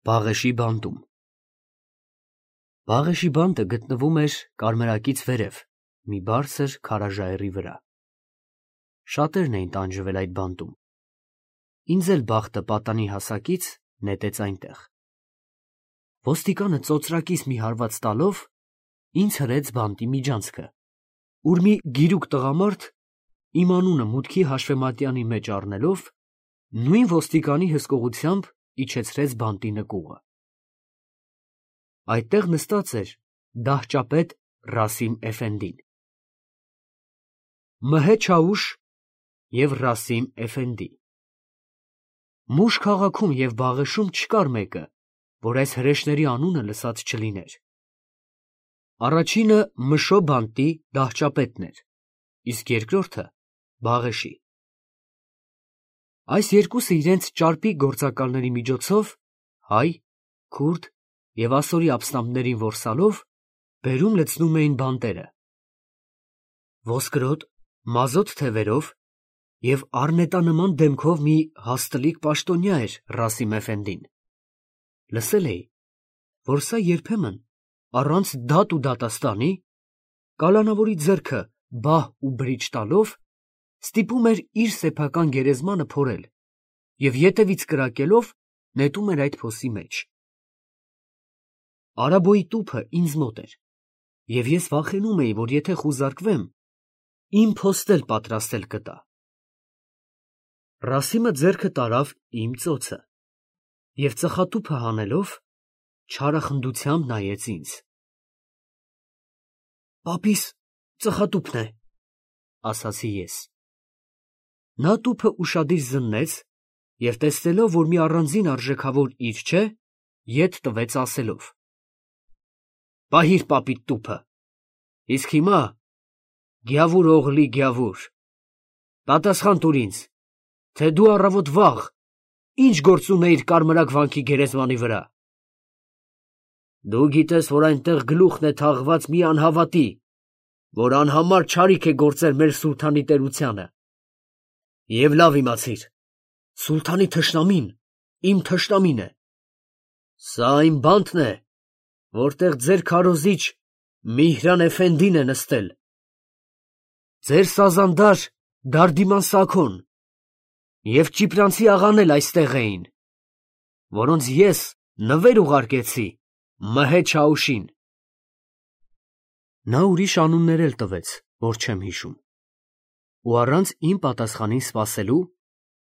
Բաղեշի բանտում Բաղեշի բանտը գտնվում էր կարմրակից վերև մի բարձր քարաժայռի վրա։ Շատերն էին տանջվել այդ բանտում։ Ինձ էլ բախտը պատանի հասակից նետեց այնտեղ։ Ոստիկանը ծոծրակից մի հարված տալով ինձ հրեց բանտի միջանցքը, ուր մի գիրուկ տղամարդ իմ անունը մուտքի հաշվեմատյանի մեջ առնելով նույն ոստիկանի հսկողությամբ իջեցրեց բանտի նկուղը։ Այդտեղ նստած էր դահճապետ Ռասիմ Էֆենդին։ Մհե Չաուշ և Ռասիմ Էֆենդի։ Մուշ քաղաքում և Բաղեշում չկար մեկը, որ այս հրեշների անունը լսած չլիներ։ Առաջինը Մշո բանտի դահճապետն էր, իսկ երկրորդը Բաղեշի։ Այս երկուսը իրենց ճարպիկ գործակալների միջոցով հայ, քուրդ և ասորի ապստամբներին որսալով բերում լցնում էին բանտերը։ Ոսկրոտ, մազոտ թևերով և առնետանման դեմքով մի հաստլիկ պաշտոնյա էր Ռասիմ Էֆենդին։ Լսել էի, որ սա երբեմն առանց դատ ու դատաստանի, կալանավորի ձեռքը բահ ու բրիջ տալով, ստիպում էր իր սեփական գերեզմանը փորել և ետևից կրակելով նետում էր այդ փոսի մեջ։ Արաբոյի տուփը ինձ մոտ էր, և ես վախենում էի, որ եթե խուզարկվեմ, իմ փոստն էլ պատրաստել կտա։ Ռասիմը ձեռքը տարավ իմ ծոցը և ծխատուփը հանելով չարախնդությամբ նայեց ինձ։ «Պապիս ծխատուփն է», ասացի ես։ Նա տուփը ուշադիր զննեց և տեսնելով, որ մի առանձին արժեքավոր իր չէ, ետ տվեց ասելով. «Պահիր պապիդ տուփը, իսկ հիմա գյավուր օղլի գյավուր, պատասխան տուր ինձ, թե դու առավոտ վաղ ինչ գործ ունեիր կարմրակ վանքի գերեզմանի վրա։ Դու գիտես, որ այնտեղ գլուխն է թաղված մի անհավատի, որ անհամար չարիք է գործել մեր սուլթանի տերությանը։ Եվ լավ իմացիր, սուլթանի թշնամին իմ թշնամին է։ Սա այն բանտն է, որտեղ ձեր քարոզիչ Միհրան Էֆենդին է նստել, ձեր սազանդար Դարդիման Սաքոն և ճիպրանցի աղան էլ այստեղ էին, որոնց ես նվեր ուղարկեցի Մհե Չաուշին»։ Նա ուրիշ անուններ էլ տվեց, որ չեմ հիշում, ու առանց իմ պատասխանին սպասելու,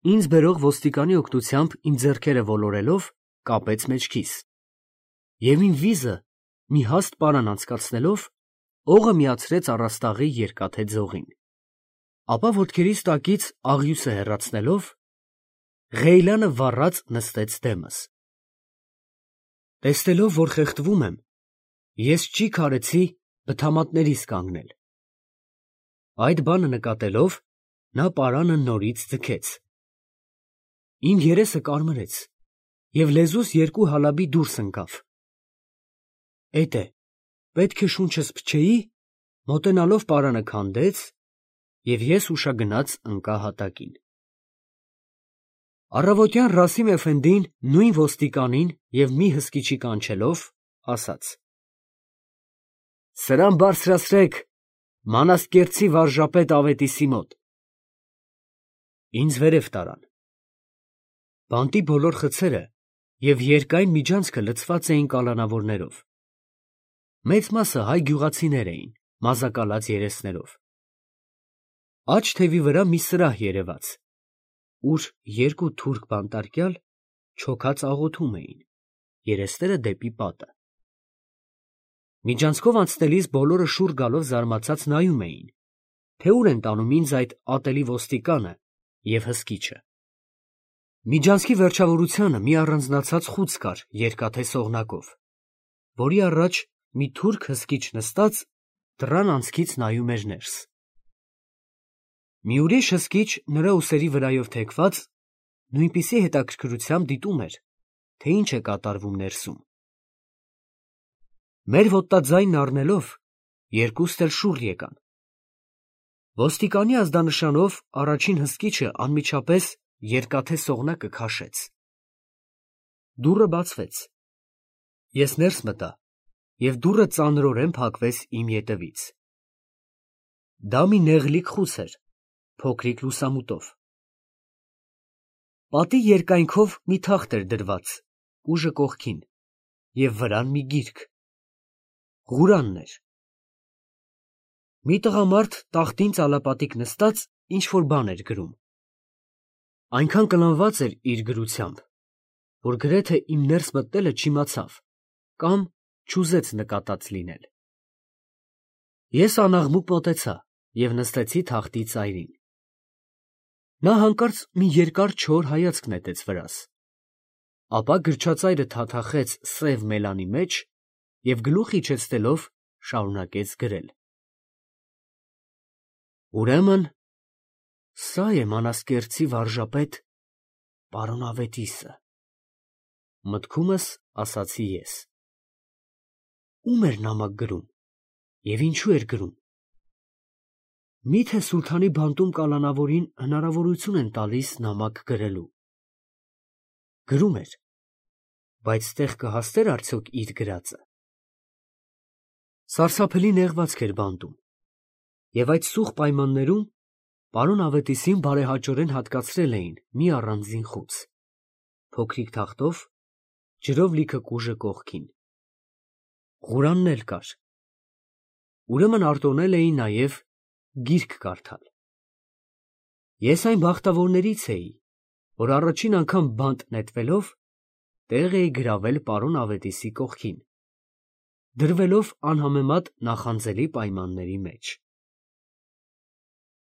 ինձ բերող ոստիկանի օգնությամբ իմ ձեռքերը ոլորելով կապեց մեջքիս, և իմ վիզը մի հաստ պարան անցկացնելով, օղը միացրեց առաստաղի երկաթե ձողին, ապա ոտքերիս տակից աղյուսը հեռացնելով, ղեյլանը վառած նստեց դեմս։ Տեսնելով, որ խեղդվում եմ, ես ճիգ արեցի բթամատներիս կանգնել։ Այդ բանը նկատելով, նա պարանը նորից ձգեց։ Իմ երեսը կարմրեց, և լեզուս երկու հալաբի դուրս ընկավ։ Էդ է, պետք է շունչս փչեի, մոտենալով պարանը քանդեց, և ես ուշագնաց ընկա հատակին։ Առավոտյան Ռասիմ Էֆենդին նույն ոստիկանին և մի հսկիչի կանչելով, ասաց. «Սրան բարձրացրեք Մանազկերտցի վարժապետ Ավետիսի մոտ»։ Ինձ վերև տարան։ Բանտի բոլոր խցերը և երկայն միջանցքը լցված էին կալանավորներով։ Մեծ մասը հայ գյուղացիներ էին, մազակալած երեսներով։ Աջ թևի վրա մի սրահ երևաց, ուր երկու թուրք բանտարկյալ չոքած աղոթում էին, երեսները դեպի պատը։ Միջանցքով անցնելիս բոլորը շուռ գալով զարմացած նայում էին, թե ուր են տանում ինձ այդ ատելի ոստիկանը և հսկիչը։ Միջանցքի վերջավորությանը մի առանձնացած խուց կար երկաթե սողնակով, որի առաջ մի թուրք հսկիչ նստած դռան անցքից նայում էր ներս։ Մի ուրիշ հսկիչ նրա ուսերի վրայով թեքված նույնպիսի հետաքրքրությամբ դիտում էր, թե ինչ է կատարվում ներսում։ Մեր ոտնաձայնն առնելով, երկուստ էլ շուռ եկան։ Ոստիկանի ազդանշանով առաջին հսկիչը անմիջապես երկաթե սողնակը քաշեց։ դուռը բացվեց։ Ես ներս մտա, և դուռը ծանրորեն փակվեց իմ ետևից։ Դա մի նեղլիկ խուց էր, փոքրիկ լուսամուտով։ Պատի երկայնքով մի թախտ էր դրված, ուժը կողքին, և վրան մի գիրք։ Ղուրանն էր։ Մի տղամարդ տախտին ծալապատիկ նստած ինչ-որ բան էր գրում։ Այնքան կլանված էր իր գրությամբ, որ գրեթե իմ ներս մտնելը չիմացավ կամ չուզեց նկատած լինել։ Ես անաղմուկ մոտեցա և նստեցի թախտի ծայրին։ Նա հանկարծ մի երկար չոր հայացք նետեց վրաս, ապա գրչածայրը թաթախեց սև մելանի մեջ և գլուխ իջեցնելով շարունակեց գրել. Ուրեմն, սա է Մանասկերտցի վարժապետ պարոն Ավետիսը, մտքումս ասացի ես։ Ում էր նամակ գրում և ինչու էր գրում։ Միթե սուլթանի բանտում կալանավորին հնարավորություն են տալիս նամակ գրելու։ Գրում էր, բայց տեղ կհասնե՞ր արդյոք իր գրածը։ Սարսափելի նեղվածք էր բանտում, և այդ սուղ պայմաններում պարոն Ավետիսին բարեհաճորեն հատկացրել էին մի առանձին խուց, փոքրիկ թախտով, ջրով լիքը կուժը կողքին։ Ղուրանն էլ կար։ Ուրեմն արտոնել էին նաև գիրք կարդալ։ Ես այն բախտավորներից էի, որ առաջին անգամ բանտ նետվելով տեղ էի գրավել պարոն Ավետիսի կողքին, դրվելով անհամեմատ նախանձելի պայմանների մեջ։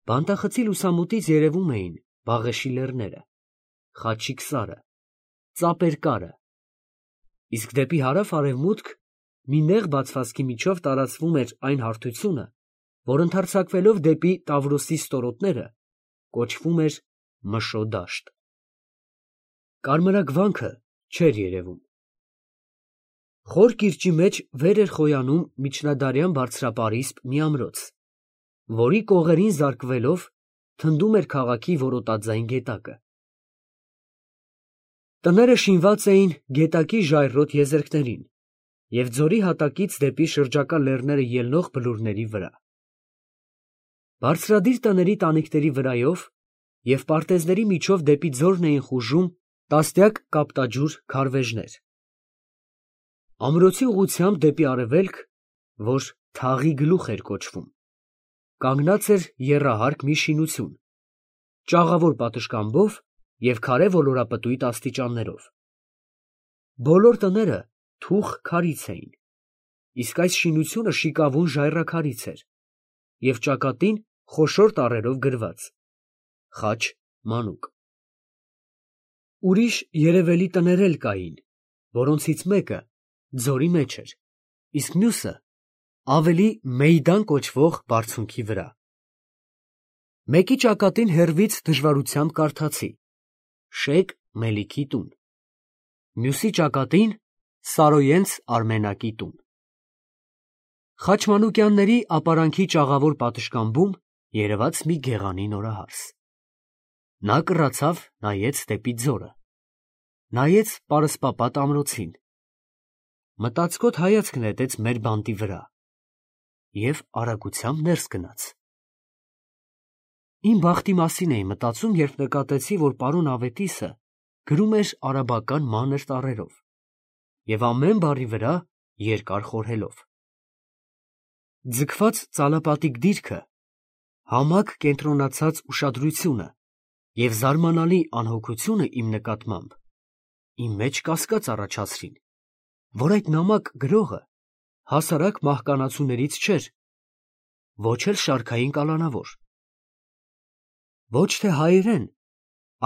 Բանտախցի լուսամուտից երևում էին Բաղեշի լեռները, Խաչիկ սարը, Ծապերկարը, իսկ դեպի հարավ֊արևմուտք մի նեղ բացվածքի միջով տարածվում էր այն հարթությունը, որ ընդարձակվելով դեպի Տավրոսի ստորոտները կոչվում էր Մշո դաշտ։ Կարմրագվանքը չէր երևում։ Խոր կիրճի մեջ վեր էր խոյանում միջնադարյան բարձրապարիսպ մի ամրոց, որի կողերին զարկվելով թնդում էր քաղաքի որոտաձայն գետակը։ Տները շինված էին գետակի ժայռոտ եզերքներին և ձորի հատակից դեպի շրջակա լեռները ելնող բլուրների վրա։ Բարձրադիր տների տանիքների վրայով և պարտեզների միջով դեպի ձորն էին խուժում տասնյակ կապտաջուր քարվեժներ։ Ամրոցի ուղղությամբ դեպի արևելք, որ Թաղի գլուխ էր կոչվում, կանգնած էր եռահարկ մի շինություն, ճաղավոր պատշգամբով և քարե ոլորապտույտ աստիճաններով։ Բոլոր տները թուխ քարից էին, իսկ այս շինությունը շիկավուն ժայռաքարից էր և ճակատին խոշոր տառերով գրված «Խաչ մանուկ»։ Ուրիշ երևելի տներ էլ կային, որոնցից մեկը ձորի մեջ էր, իսկ մյուսը ավելի Մեյդան կոչվող բարձունքի վրա։ Մեկի ճակատին հեռվից դժվարությամբ կարդացի «Շեյխ Մելիքի տուն», մյուսի ճակատին Սարոյենց Արմենակի տուն։ Խաչմանուկյանների ապարանքի ճաղավոր պատշգամբում երևաց մի գեղանի նորահարս։ Նա կռացավ, նայեց դեպի ձորը, նայեց պարսպապատ ամրոցին, մտածկոտ հայացք նետեց մեր բանտի վրա և արագությամբ ներս գնաց։ Իմ բախտի մասին էի մտածում, երբ նկատեցի, որ պարոն Ավետիսը գրում էր արաբական մանր տառերով և ամեն բառի վրա երկար խորհելով։ Ձգված ծալապատիկ դիրքը, համակ կենտրոնացած ուշադրությունը և զարմանալի անհոգությունը իմ նկատմամբ իմ մեջ կասկած առաջացրին, որ այդ նամակ գրողը հասարակ մահկանացուներից չէր, ոչ էլ շարքային կալանավոր։ Ոչ թե հայերեն,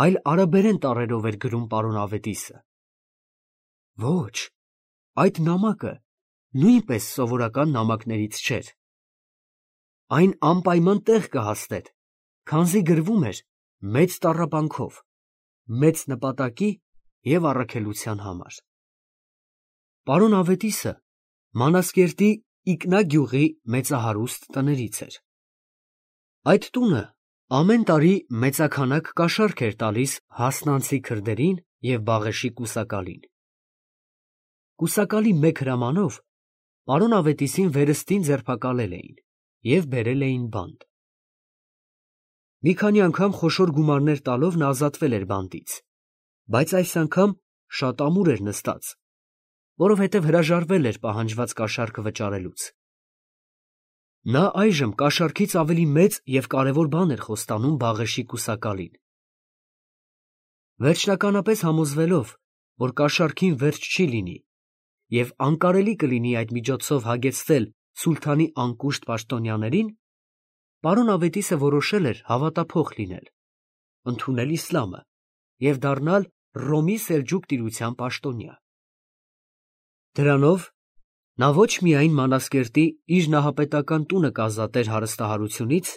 այլ արաբերեն տառերով էր գրում պարոն Ավետիսը։ Ոչ, այդ նամակը նույնպես սովորական նամակներից չէր։ Այն անպայման տեղ կհասներ, քանզի գրվում էր մեծ տառապանքով, մեծ նպատակի և առաքելության համար։ Պարոն Ավետիսը Մանասկերտի Իկնա գյուղի մեծահարուստ տներից էր։ Այդ տունը ամեն տարի մեծաքանակ կաշառք էր տալիս հասնանցի քրդերին և Բաղեշի կուսակալին։ Կուսակալի մեկ հրամանով պարոն Ավետիսին վերստին ձերբակալել էին և բերել էին բանտ։ Մի քանի անգամ խոշոր գումարներ տալով նա ազատվել էր բանտից, բայց այս անգամ շատ ամուր էր նստած, որովհետև հրաժարվել էր պահանջված կաշառքը վճարելուց։ Նա այժմ կաշառքից ավելի մեծ և կարևոր բան էր խոստանում Բաղեշի կուսակալին։ Վերջնականապես համոզվելով, որ կաշառքին վերջ չի լինի և անկարելի կլինի այդ միջոցով հագեցնել սուլթանի անկուշտ պաշտոնյաներին, պարոն Ավետիսը որոշել էր հավատափող լինել, ընդունել իսլամը և դառնալ Ռոմի Սելջուկ տիրության պաշտոնյա։ Դրանով նա ոչ միայն Մանազկերտի իր նահապետական տունը կազատեր հարստահարությունից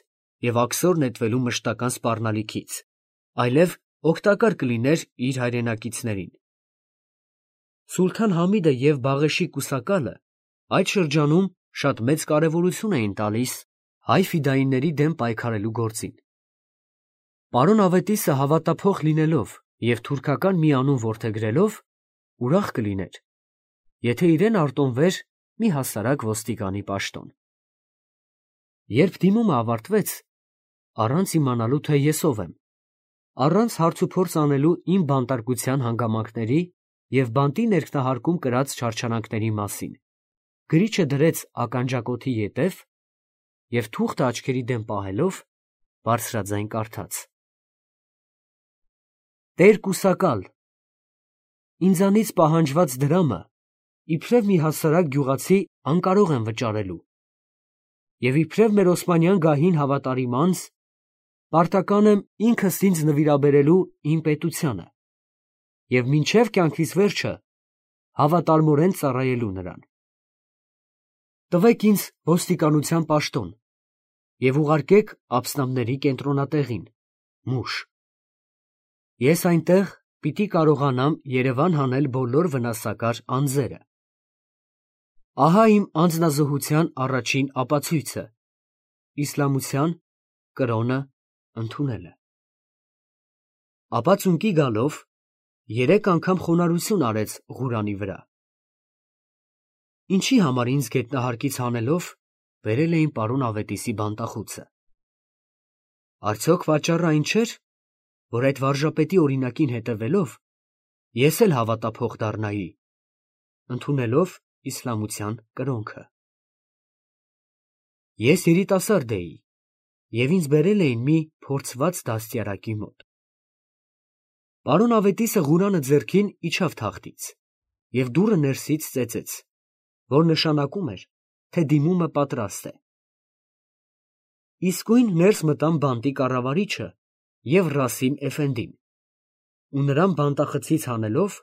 և աքսոր նետվելու մշտական սպառնալիքից, այլև օգտակար կլիներ իր հայրենակիցներին։ Սուլթան Համիդը և Բաղեշի կուսակալը այդ շրջանում շատ մեծ կարևորություն էին տալիս հայ ֆիդայինների դեմ պայքարելու գործին։ Պարոն Ավետիսը հավատափող լինելով և թուրքական մի անուն որդեգրելով, ուրախ կլիներ, եթե իրեն արտոնվեր մի հասարակ ոստիկանի պաշտոն։ Երբ դիմումը ավարտվեց, առանց իմանալու, թե ես ով եմ, առանց հարցուփորձ անելու իմ բանտարկության հանգամանքների և բանտի ներքնահարկում կրած չարչարանքների մասին, գրիչը դրեց ականջակոթի ետև և թուղթը աչքերի դեմ պահելով, բարձրաձայն կարդաց. «Տեր կուսակալ, ինձանից պահանջված դրամը իբրև մի հասարակ գյուղացի անկարող եմ վճարելու և իբրև մեր օսմանյան գահին հավատարիմ անձ պարտական եմ ինքս ինձ նվիրաբերելու իմ պետությանը և մինչև կյանքիս վերջը հավատարմորեն ծառայելու նրան։ Տվեք ինձ ոստիկանության պաշտոն և ուղարկեք ափսնամների կենտրոնատեղին, Մուշ։ Ես այնտեղ պիտի կարողանամ երևան հանել բոլոր վնասակար անձերը։ Ահա իմ անձնազոհության առաջին ապացույցը՝ իսլամության կրոնը ընդունելը»։ Ապա ծունկի գալով 3 անգամ խոնարհություն արեց Ղուրանի վրա։ Ինչի համար ինձ գետնահարկից հանելով բերել էին պարոն Ավետիսի բանտախուցը։ Արդյոք պատճառը այն չէր, որ այդ վարժապետի օրինակին հետևելով ես էլ հավատափող դառնայի, ընդունելով իսլամության կրոնքը։ Ես երիտասարդ էի և ինձ բերել էին մի փորձված դաստիարակի մոտ։ Պարոն Ավետիսը Ղուրանը ձեռքին իջավ թախտից և դուռը ներսից ծեծեց, որ նշանակում էր, թե դիմումը պատրաստ է։ Իսկույն ներս մտան բանտի կառավարիչը և Ռասիմ Էֆենդին ու նրան բանտախցից հանելով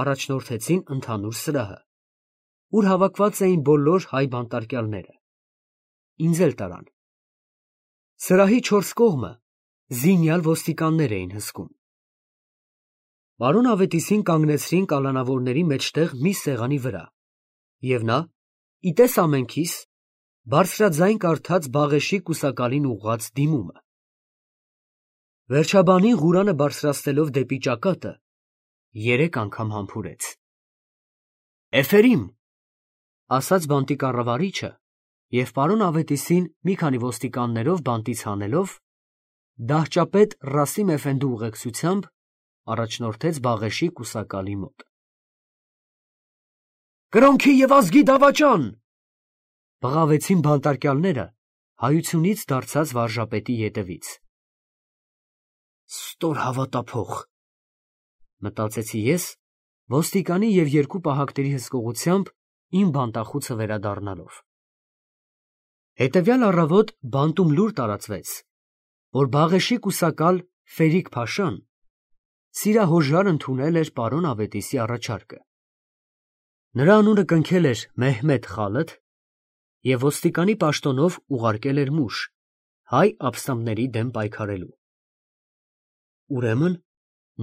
առաջնորդեցին ընդհանուր սրահը, ուր հավաքված էին բոլոր հայ բանտարկյալները։ Ինձ էլ տարան։ Սրահի 4 կողմը զինյալ ոստիկաններ էին հսկում։ Պարոն Ավետիսին կանգնեցրին կալանավորների մեջտեղ մի սեղանի վրա, և նա, ի տես ամենքիս, բարձրաձայն կարդաց Բաղեշի կուսակալին ուղղված դիմումը։ Վերջաբանին Ղուրանը բարձրացնելով դեպի ճակատը 3 անգամ համբուրեց։ «Էֆերիմ», ասաց բանտի կառավարիչը և պարոն Ավետիսին մի քանի ոստիկաններով բանտից հանելով, դահճապետ Ռասիմ Էֆենդու ուղեկցությամբ առաջնորդեց Բաղեշի կուսակալի մոտ։ «Կրոնքի և ազգի դավաճան», բղավեցին բանտարկյալները հայությունից դարձած վարժապետի ետևից։ Ստոր հավատափող, մտածեցի ես, ոստիկանի և 2 պահակների հսկողությամբ իմ բանտախուցը վերադառնալով։ Հետևյալ առավոտ բանտում լուր տարածվեց, որ Բաղեշի կուսակալ Ֆերիկ֊փաշան սիրահոժար ընդունել էր պարոն Ավետիսի առաջարկը։ Նրա անունը կնքել էր Մեհմեդ Խալըթ և ոստիկանի պաշտոնով ուղարկել էր Մուշ հայ ափսնամների դեմ պայքարելու։ Ուրեմն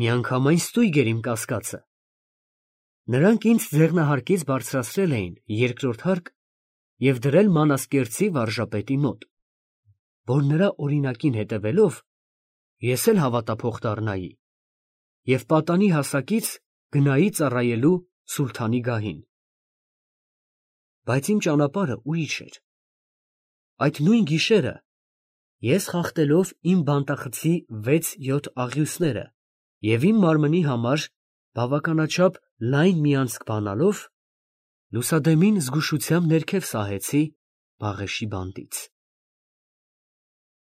միանգամայն ստույգ էր իմ կասկածը։ Նրանք ինձ ձեղնահարկից բարձրացրել էին 2-րդ հարկ և դրել Մանազկերտցի վարժապետի մոտ, որ նրա օրինակին հետևելով ես էլ հավատափող դառնայի և պատանի հասակից գնայի ծառայելու սուլթանի գահին։ Բայց իմ ճանապարհը ուրիշ էր։ Այդ նույն գիշերը ես խախտելով իմ բանտախցի 6-7 աղյուսները և իմ մարմնի համար բավականաչափ լայն մի անցք բանալով, լուսադեմին զգուշությամբ ներքև սահեցի բաղեշի բանտից։